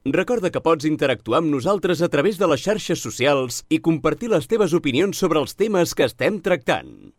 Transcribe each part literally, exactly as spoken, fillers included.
Recorda que pots interactuar amb nosaltres a través de les xarxes socials i compartir les teves opinions sobre els temes que estem tractant.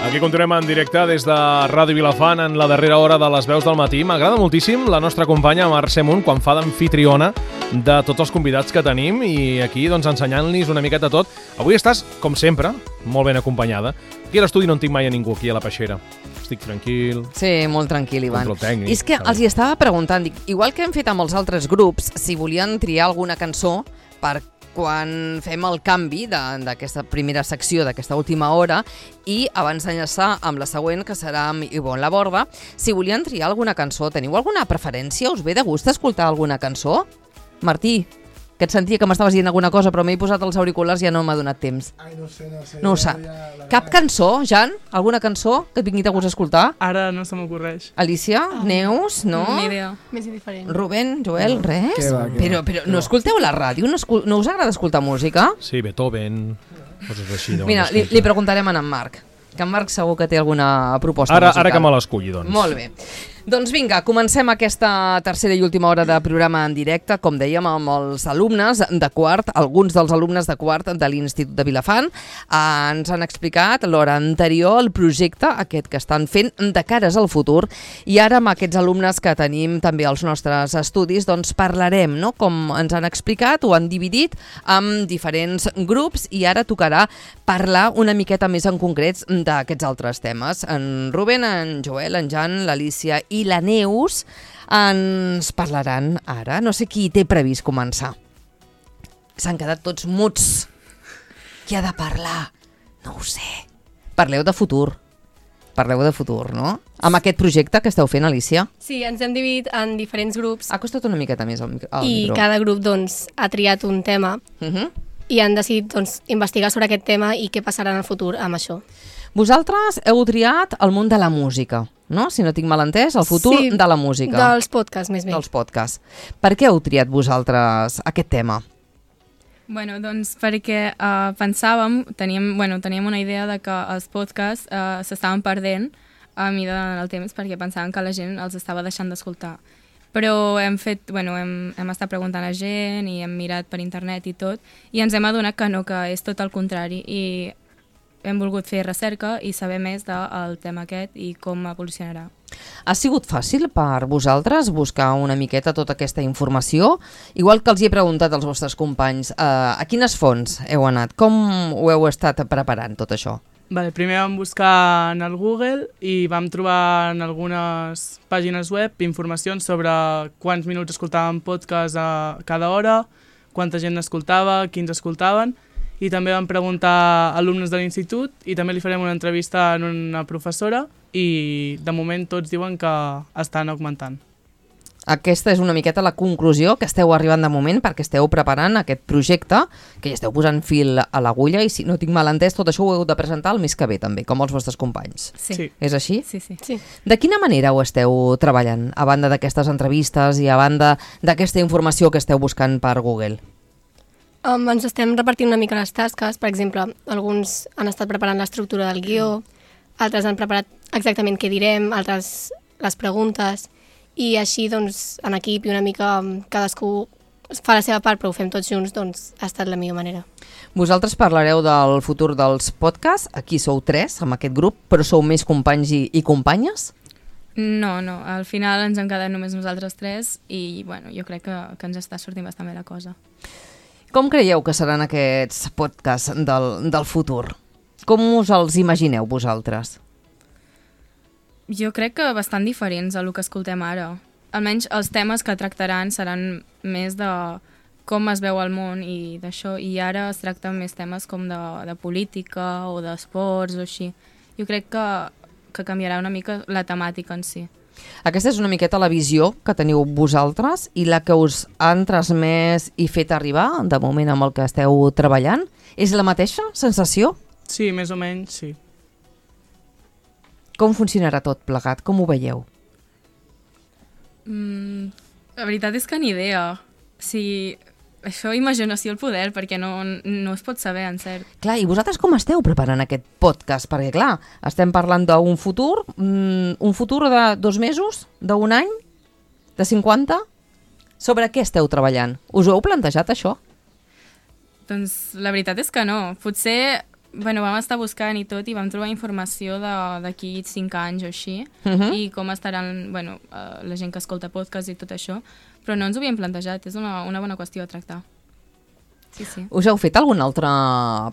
Aquí continuem en directe des de Ràdio Vilafant en la darrera hora de les veus del matí. M'agrada moltíssim la nostra companya Mercè Munt quan fa d'amfitriona de tots els convidats que tenim i aquí doncs ensenyant-los una miqueta tot. Avui estàs, com sempre, molt ben acompanyada. Aquí a l'estudi no en tinc mai a ningú, aquí a la peixera. Estic tranquil. Sí, molt tranquil, Ivan. Control tècnic. I és que els hi estava preguntant, dic, igual que hem fet amb els altres grups, si volien triar alguna cançó per quan fem el canvi d'aquesta primera secció, d'aquesta última hora, i abans d'enllaçar amb la següent, que serà amb Ivonne Laborda, si volien triar alguna cançó, teniu alguna preferència? Us ve de gust escoltar alguna cançó? Martí, que et sentia que m'estaves dient alguna cosa, però m'he posat els auriculars i ja no m'ha donat temps. Ai, no sé, no sé. No ho sap. Cap cançó, Jan? Alguna cançó que et vingui de gust escoltar? Ara no se m'ocorreix. Alicia? Ah. Neus? No? Ni idea. Més indiferent. Rubén? Joel? No. Res? Què va, què però va, però què no va. escolteu la ràdio? No, escol no us agrada escoltar música? Sí, Beethoven, coses així. Mira, li, li preguntarem a en Marc, que en Marc segur que té alguna proposta ara, musical. Ara que me l'esculli, doncs. Molt bé. Doncs vinga, comencem aquesta tercera i última hora de programa en directe, com dèiem, amb els alumnes de quart, alguns dels alumnes de quart de l'Institut de Vilafant. Eh, ens han explicat l'hora anterior el projecte aquest que estan fent de cares al futur, i ara amb aquests alumnes que tenim també als nostres estudis, doncs parlarem, no?, com ens han explicat, ho han dividit en diferents grups, i ara tocarà parlar una miqueta més en concrets d'aquests altres temes. En Rubén, en Joel, en Jan, l'Alicia i la Neus ens parlaran ara. No sé qui té previst començar. S'han quedat tots muts. Qui ha de parlar? No ho sé. Parleu de futur. Parleu de futur, no? Amb aquest projecte que esteu fent, Alicia. Sí, ens hem dividit en diferents grups. Acosta't una miqueta més al, al i micro. cada grup doncs, ha triat un tema Uh -huh. i han decidit doncs, investigar sobre aquest tema i què passarà en el futur amb això. Vosaltres heu triat el món de la música, no? Si no tinc mal entès, el futur sí, de la música. Dels podcasts, més bé. Dels podcasts. Per què heu triat vosaltres aquest tema? Bueno, doncs perquè uh, pensàvem, teníem, bueno, teníem una idea de que els podcasts uh, s'estaven perdent a mida del temps perquè pensàvem que la gent els estava deixant d'escoltar. Però hem fet, bueno, hem, hem estat preguntant a gent i hem mirat per internet i tot, i ens hem adonat que no, que és tot el contrari, i hem volgut fer recerca i saber més del tema aquest i com evolucionarà. Ha sigut fàcil per vosaltres buscar una miqueta tota aquesta informació? Igual que els hi he preguntat als vostres companys, eh, a quines fonts heu anat? Com ho heu estat preparant, tot això? Vale, primer vam buscar en el Google i vam trobar en algunes pàgines web informacions sobre quants minuts escoltàvem podcast a cada hora, quanta gent escoltava, quins escoltaven, i també vam preguntar a alumnes de l'institut i també li farem una entrevista a una professora i de moment tots diuen que estan augmentant. Aquesta és una miqueta la conclusió que esteu arribant de moment perquè esteu preparant aquest projecte, que ja esteu posant fil a l'agulla, i si no tinc mal entès, tot això ho heu de presentar el mes que ve també, com els vostres companys. Sí. Sí. És així? Sí, sí. Sí. De quina manera ho esteu treballant, a banda d'aquestes entrevistes i a banda d'aquesta informació que esteu buscant per Google? Um, ens estem repartint una mica les tasques. Per exemple, alguns han estat preparant l'estructura del guió, altres han preparat exactament què direm, altres les preguntes, i així doncs, en equip i una mica cadascú fa la seva part, però ho fem tots junts, doncs ha estat la millor manera. Vosaltres parlareu del futur dels podcasts, aquí sou tres amb aquest grup, però sou més companys i, i companyes? No, no, al final ens hem quedat només nosaltres tres i bueno, jo crec que, que ens està sortint bastant bé la cosa. Com creieu que seran aquests podcasts del, del futur? Com us els imagineu vosaltres? Jo crec que bastant diferents a el que escoltem ara. Almenys els temes que tractaran seran més de com es veu el món i d'això, i ara es tracten més temes com de, de política o d'esports o així. Jo crec que, que canviarà una mica la temàtica en si. Aquesta és una miqueta la visió que teniu vosaltres i la que us han transmès i fet arribar de moment amb el que esteu treballant. És la mateixa sensació? Sí, més o menys, sí. Com funcionarà tot plegat? Com ho veieu? Mm, la veritat és que ni idea. Si això imaginació al poder, perquè no, no es pot saber, en cert. Clar, i vosaltres com esteu preparant aquest podcast? Perquè, clar, estem parlant d'un futur, mm, un futur de dos mesos, d'un any, de cinquanta? Sobre què esteu treballant? Us ho heu plantejat, això? Doncs la veritat és que no. Potser... Bueno, vam estar buscant i tot i vam trobar informació d'aquí cinc anys o així Uh -huh. i com estaran, bueno, uh, la gent que escolta podcast i tot això, però no ens ho havíem plantejat, és una, una bona qüestió a tractar. Sí, sí. Us heu fet algun altre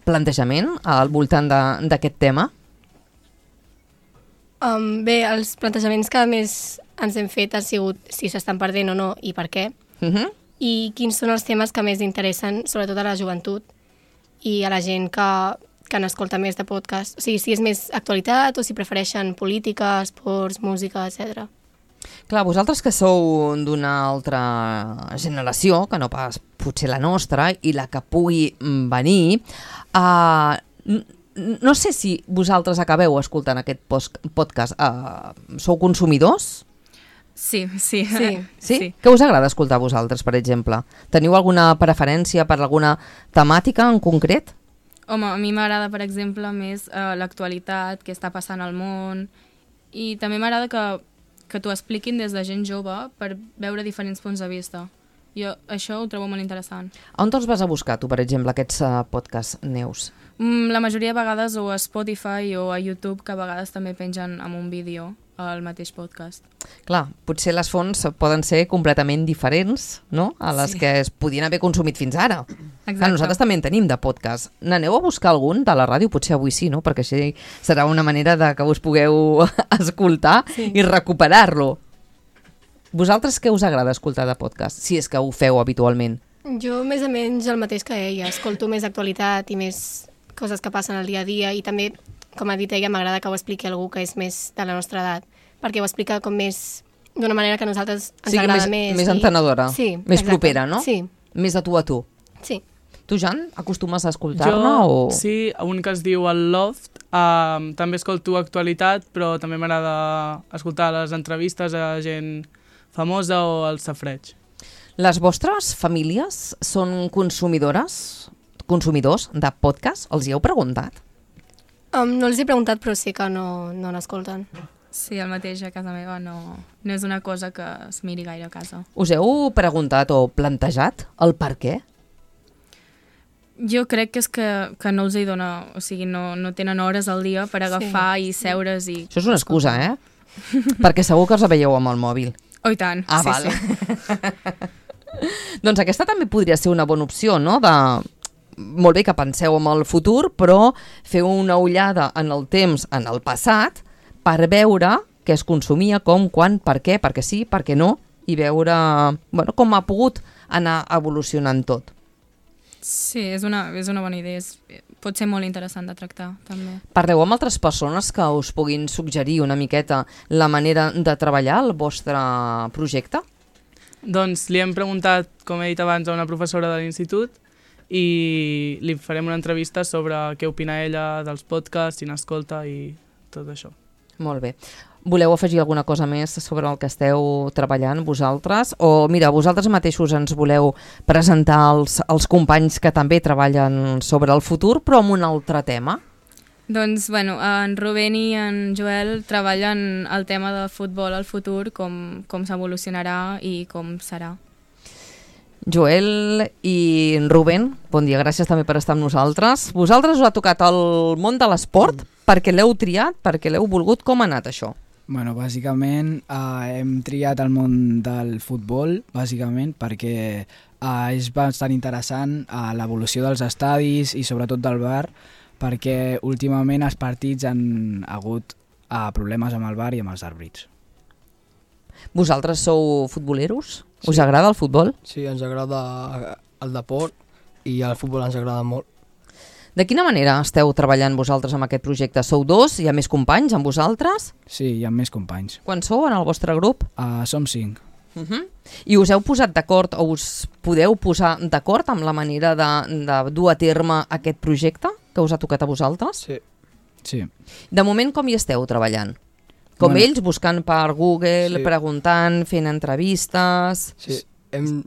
plantejament al voltant d'aquest tema? Um, bé, els plantejaments que més ens hem fet han sigut si s'estan perdent o no i per què, Uh -huh. i quins són els temes que més interessen, sobretot a la joventut i a la gent que, que n'escolta més de podcast. O sigui, si és més actualitat o si prefereixen política, esports, música, etcètera. Clar, vosaltres que sou d'una altra generació, que no pas potser la nostra, i la que pugui venir, uh, no sé si vosaltres acabeu escoltant aquest podcast. Uh, sou consumidors? Sí, sí. Sí. Sí? sí? Què us agrada escoltar a vosaltres, per exemple? Teniu alguna preferència per alguna temàtica en concret? Home, a mi m'agrada, per exemple, més uh, l'actualitat, què està passant al món, i també m'agrada que, que t'ho expliquin des de gent jove per veure diferents punts de vista. Jo això ho trobo molt interessant. On te'ls vas a buscar, tu, per exemple, aquests uh, podcasts, Neus? Mm, la majoria de vegades o a Spotify o a YouTube, que a vegades també pengen amb un vídeo al mateix podcast. Clar, potser les fonts poden ser completament diferents, no?, a les Sí. que es podien haver consumit fins ara. Exacte. Clar, nosaltres també en tenim de podcast. N'aneu a buscar algun de la ràdio? Potser avui sí, no?, perquè així serà una manera de que us pugueu escoltar Sí. i recuperar-lo. Vosaltres què us agrada escoltar de podcast, si és que ho feu habitualment? Jo més o menys el mateix que ella, escolto més actualitat i més coses que passen al dia a dia i també, com ha dit ella, m'agrada que ho expliqui algú que és més de la nostra edat, perquè ho explica com més d'una manera que a nosaltres ens Sigui agrada més, més. més i- entenedora, sí, més exacte. propera, no? Sí, Més de tu a tu. sí. Tu, Jan, acostumes a escoltar-ne? Jo, o... sí, un que es diu El Loft. Um, també escolto actualitat, però també m'agrada escoltar les entrevistes a gent famosa o el safreig. Les vostres famílies són consumidores, consumidors de podcast? Els hi heu preguntat? Um, no els he preguntat, però sí que no, no n'escolten. Sí, el mateix a casa meva no, no és una cosa que es miri gaire a casa. Us heu preguntat o plantejat el per què? Jo crec que és que, que no els hi dona, o sigui, no, no tenen hores al dia per agafar sí. i seure's i... Això és una excusa, eh? Perquè segur que els veieu amb el mòbil. Oh, i tant, Ah, sí, val. sí. Doncs aquesta també podria ser una bona opció, no? De... Molt bé que penseu en el futur, però feu una ullada en el temps, en el passat, per veure què es consumia, com, quan, per què, perquè sí, per què no, i veure, bueno, com ha pogut anar evolucionant tot. Sí, és una, és una bona idea, és, pot ser molt interessant de tractar, també. Parleu amb altres persones que us puguin suggerir una miqueta la manera de treballar el vostre projecte? Doncs li hem preguntat, com he dit abans, a una professora de l'institut i li farem una entrevista sobre què opina ella dels podcasts, si n'escolta i tot això. Molt bé. Voleu afegir alguna cosa més sobre el que esteu treballant vosaltres? O mira, vosaltres mateixos ens voleu presentar els, els companys que també treballen sobre el futur, però amb un altre tema? Doncs, bueno, en Rubén i en Joel treballen el tema del futbol al futur, com, com s'evolucionarà i com serà. Joel i Rubén, bon dia, gràcies també per estar amb nosaltres. Vosaltres us ha tocat el món de l'esport perquè l'heu triat, perquè l'heu volgut. Com ha anat això? Bueno, bàsicament eh, hem triat el món del futbol, bàsicament, perquè eh, és bastant interessant eh, l'evolució dels estadis i sobretot del V A R, perquè últimament els partits han hagut eh, problemes amb el V A R i amb els àrbitres. Vosaltres sou futboleros? Us sí. agrada el futbol? Sí, ens agrada el deport i el futbol ens agrada molt. De quina manera esteu treballant vosaltres amb aquest projecte? Sou dos? Hi ha més companys amb vosaltres? Sí, hi ha més companys. Quan sou en el vostre grup? Uh, som cinc. Uh -huh. I us heu posat d'acord o us podeu posar d'acord amb la manera de, de dur a terme aquest projecte que us ha tocat a vosaltres? Sí. Sí. De moment com hi esteu treballant? Com Bueno. ells, buscant per Google, Sí. preguntant, fent entrevistes... Sí, hem,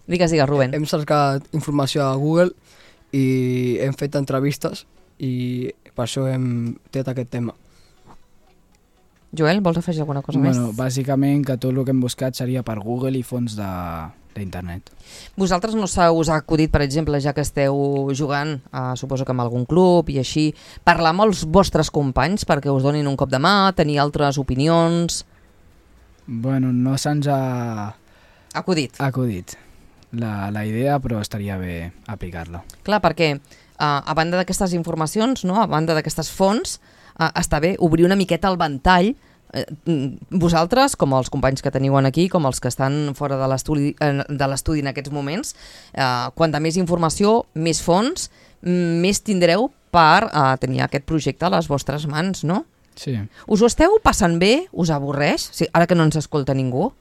Digues, digues, Rubén. Hem cercat informació a Google i hem fet entrevistes i per això hem tret aquest tema. Joel, vols afegir alguna cosa Bueno, més? bàsicament que tot el que hem buscat seria per Google i fonts de d'internet. Vosaltres no se us ha acudit, per exemple, ja que esteu jugant, eh, suposo que amb algun club i així, parlar amb els vostres companys perquè us donin un cop de mà, tenir altres opinions? Bueno, no se'ns ha Acudit. acudit la, la idea, però estaria bé aplicar-la. Clar, perquè eh, a banda d'aquestes informacions, no? A banda d'aquestes fonts, eh, està bé obrir una miqueta el ventall. Eh, vosaltres, com els companys que teniu aquí, com els que estan fora de l'estudi eh, de l'estudi en aquests moments, eh, quanta més informació, més fons, mm, més tindreu per eh, tenir aquest projecte a les vostres mans, no? Sí. Us ho esteu passant bé? Us avorreix? Sí, ara que no ens escolta ningú?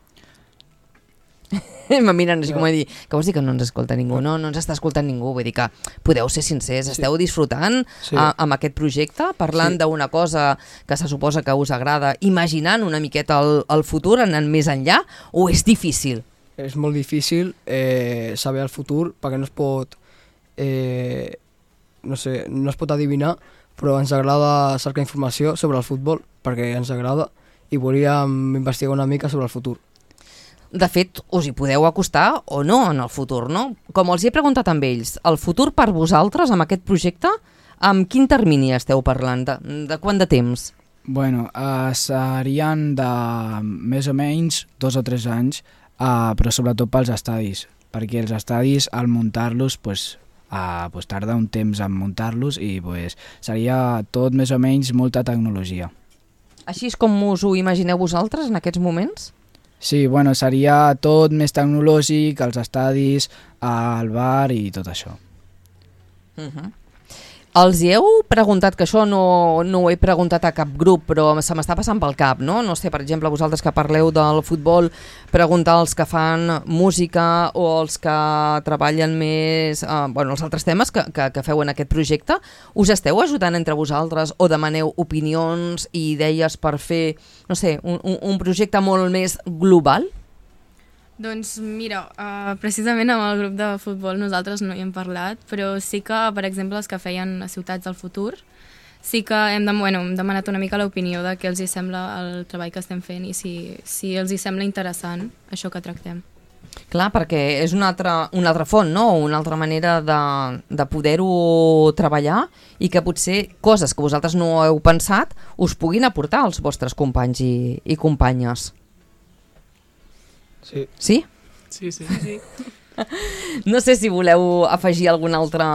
Em miren així com a dir, què vols dir que no ens escolta ningú? No, no ens està escoltant ningú, vull dir que podeu ser sincers, esteu disfrutant Sí. a, amb aquest projecte, parlant Sí. d'una cosa que se suposa que us agrada, imaginant una miqueta el, el futur, anant més enllà, o és difícil? És molt difícil eh, saber el futur perquè no es pot eh, no sé, no es pot adivinar, però ens agrada cercar informació sobre el futbol perquè ens agrada i volíem investigar una mica sobre el futur. De fet, us hi podeu acostar o no en el futur, no? Com els hi he preguntat amb ells, el futur per vosaltres amb aquest projecte, amb quin termini esteu parlant? De, de quant de temps? Bueno, uh, serien de més o menys dos o tres anys, uh, però sobretot pels estadis, perquè els estadis al muntar-los pues, uh, pues tarda un temps en muntar-los i pues, seria tot més o menys molta tecnologia. Així és com us ho imagineu vosaltres en aquests moments? Sí, bueno, seria tot més tecnològic, els estadis, el bar i tot això. Uh -huh. Els hi heu preguntat, que això no, no ho he preguntat a cap grup, però se m'està passant pel cap, no? No sé, per exemple, vosaltres que parleu del futbol, preguntar als que fan música o els que treballen més, eh, bueno, els altres temes que, que, que feu en aquest projecte, us esteu ajudant entre vosaltres o demaneu opinions i idees per fer, no sé, un, un, un projecte molt més global? Doncs mira, uh, precisament amb el grup de futbol nosaltres no hi hem parlat, però sí que, per exemple, els que feien a Ciutats del Futur, sí que hem, de, bueno, hem demanat una mica l'opinió de què els hi sembla el treball que estem fent i si, si els hi sembla interessant això que tractem. Clar, perquè és una altra, una altra font, no? Una altra manera de, de poder-ho treballar i que potser coses que vosaltres no heu pensat us puguin aportar als vostres companys i, i companyes. Sí. Sí? Sí, sí. sí. No sé si voleu afegir alguna altra,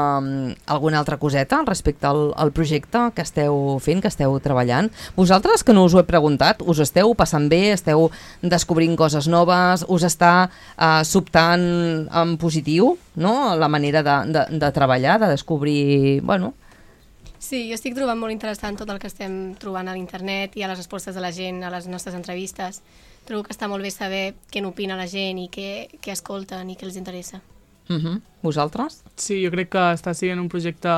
alguna altra coseta respecte al, al projecte que esteu fent, que esteu treballant. Vosaltres, que no us ho he preguntat, us esteu passant bé, esteu descobrint coses noves, us està uh, sobtant en positiu, no?, la manera de, de, de treballar, de descobrir, bueno... Sí, jo estic trobant molt interessant tot el que estem trobant a l'internet i a les respostes de la gent, a les nostres entrevistes. Trobo que està molt bé saber què n'opina la gent i què, què escolten i què els interessa. Uh-huh. Vosaltres? Sí, jo crec que està sent un projecte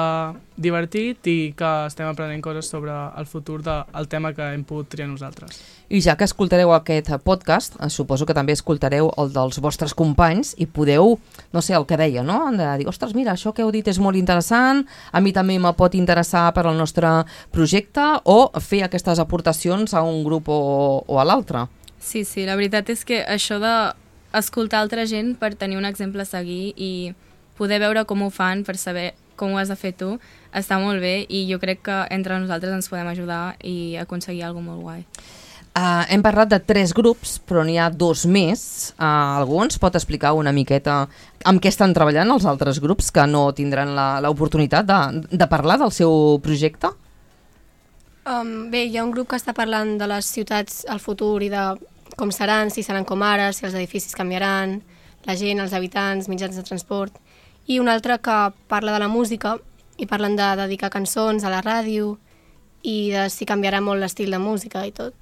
divertit i que estem aprenent coses sobre el futur del tema que hem pogut triar nosaltres. I ja que escoltareu aquest podcast, suposo que també escoltareu el dels vostres companys i podeu, no sé, el que deia, no?, de dir, ostres, mira, això que heu dit és molt interessant, a mi també me pot interessar per al nostre projecte, o fer aquestes aportacions a un grup o, o a l'altre. Sí, sí, la veritat és que això de escoltar altra gent per tenir un exemple a seguir i poder veure com ho fan per saber com ho has de fer tu, està molt bé i jo crec que entre nosaltres ens podem ajudar i aconseguir alguna cosa molt guai. Uh, hem parlat de tres grups, però n'hi ha dos més. Uh, algú ens pot explicar una miqueta amb què estan treballant els altres grups que no tindran l'oportunitat de, de parlar del seu projecte? Um, bé, hi ha un grup que està parlant de les ciutats al futur i de com seran, si seran com ara, si els edificis canviaran, la gent, els habitants, mitjans de transport, i un altre que parla de la música i parlen de dedicar cançons a la ràdio i de si canviarà molt l'estil de música i tot.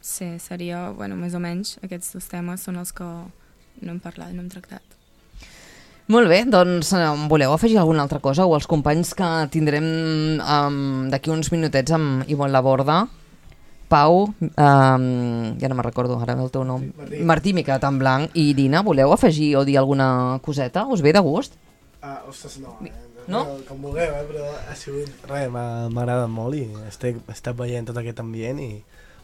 Sí, seria, bueno, més o menys, aquests dos temes són els que no hem parlat, no hem tractat. Molt bé, doncs voleu afegir alguna altra cosa o els companys que tindrem um, d'aquí uns minutets amb Ivonne Laborda? Pau, um, ja no me'n recordo ara el teu nom, Martí, Martí Mica tan blanc, i Dina, voleu afegir o dir alguna coseta? Us ve de gust? Ah, ostres, no, eh? No? Com vulgueu, eh? Però ha sigut... Res, m'ha agradat molt i estic, estic veient tot aquest ambient i...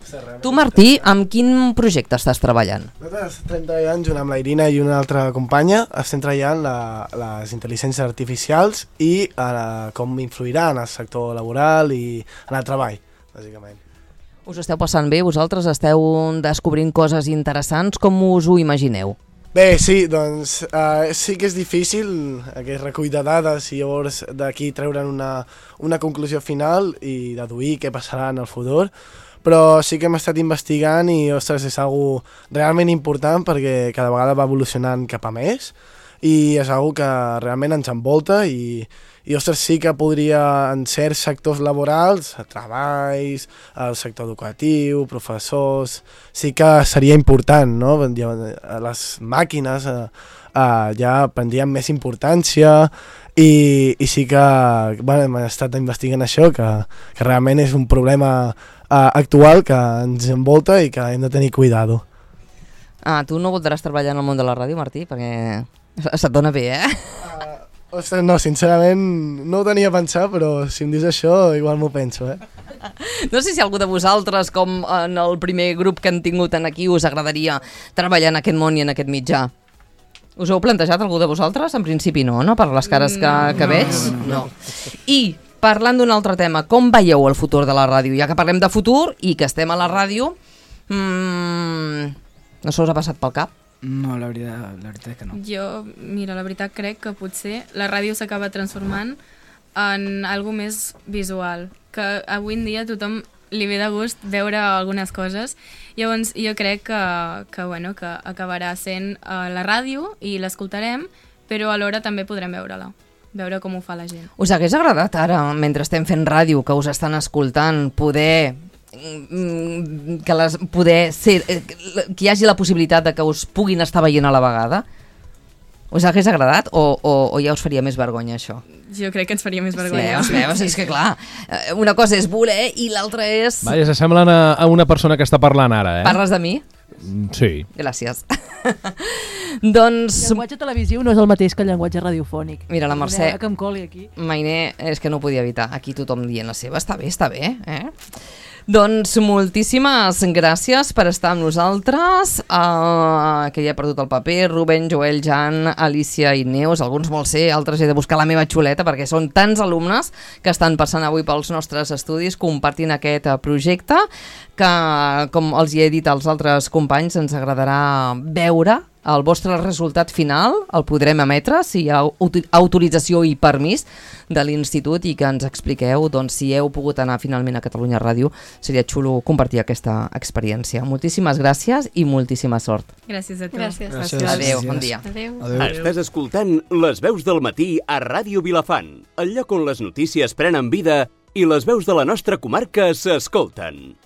Ostres, res, Tu, Martí, amb quin projecte estàs treballant? Nosaltres estem treballant junt amb la Irina i una altra companya, estem treballant la, les intel·ligències artificials i eh, com influirà en el sector laboral i en el treball, bàsicament. Us esteu passant bé? Vosaltres esteu descobrint coses interessants? Com us ho imagineu? Bé, sí, doncs uh, sí que és difícil aquest recull de dades i llavors d'aquí treure'n una, una conclusió final i deduir què passarà en el futur, però sí que hem estat investigant i, ostres, és algo realment important perquè cada vegada va evolucionant cap a més i és algo que realment ens envolta i, i ostres, sí que podria en certs sectors laborals, treballs, el sector educatiu, professors, sí que seria important, no? Les màquines eh, eh, ja prendrien més importància i, i sí que bueno, hem estat investigant això, que, que realment és un problema eh, actual que ens envolta i que hem de tenir cuidado. Ah, tu no voldràs treballar en el món de la ràdio, Martí, perquè se't dona bé, eh? Uh, ostres, no, sincerament no ho tenia pensat, però si em dius això igual m'ho penso, eh? No sé si algú de vosaltres, com en el primer grup que han tingut en aquí, us agradaria treballar en aquest món i en aquest mitjà. Us ho heu plantejat algú de vosaltres? En principi no, no? Per les cares que, que veig? No. I parlant d'un altre tema, com veieu el futur de la ràdio? Ja que parlem de futur i que estem a la ràdio, mmm, no se us ha passat pel cap? No, la veritat, la veritat és que no. Jo, mira, la veritat crec que potser la ràdio s'acaba transformant en algo més visual, que avui en dia a tothom li ve de gust veure algunes coses. Llavors jo crec que, que, bueno, que acabarà sent uh, la ràdio i l'escoltarem, però alhora també podrem veure-la, veure com ho fa la gent. Us hagués agradat ara, mentre estem fent ràdio, que us estan escoltant, poder... que les poder ser, que hi hagi la possibilitat de que us puguin estar veient a la vegada? Us hagués agradat o, o, o ja us faria més vergonya això? Jo crec que ens faria més vergonya. Sí, veus, és que clar, una cosa és voler i l'altra és... Vaja, s'assemblen a, a una persona que està parlant ara, eh? Parles de mi? Sí. Gràcies. Doncs... El llenguatge televisiu no és el mateix que el llenguatge radiofònic. Mira, la Mercè... Que em coli aquí. Mainé, és que no ho podia evitar. Aquí tothom dient la seva. Està bé, està bé, eh? Doncs moltíssimes gràcies per estar amb nosaltres, uh, que ja he perdut el paper, Rubén, Joel, Jan, Alicia i Neus, alguns molt sé, altres he de buscar la meva xuleta perquè són tants alumnes que estan passant avui pels nostres estudis compartint aquest projecte que, com els hi he dit als altres companys, ens agradarà veure el vostre resultat final, el podrem emetre si hi ha autorització i permís de l'institut i que ens expliqueu doncs, si heu pogut anar finalment a Catalunya Ràdio. Seria xulo compartir aquesta experiència. Moltíssimes gràcies i moltíssima sort. Gràcies a tu. Gràcies. Gràcies. Adéu, bon dia. Adéu. Adéu. Estàs escoltant Les Veus del Matí a Ràdio Vilafant, el lloc on les notícies prenen vida i les veus de la nostra comarca s'escolten.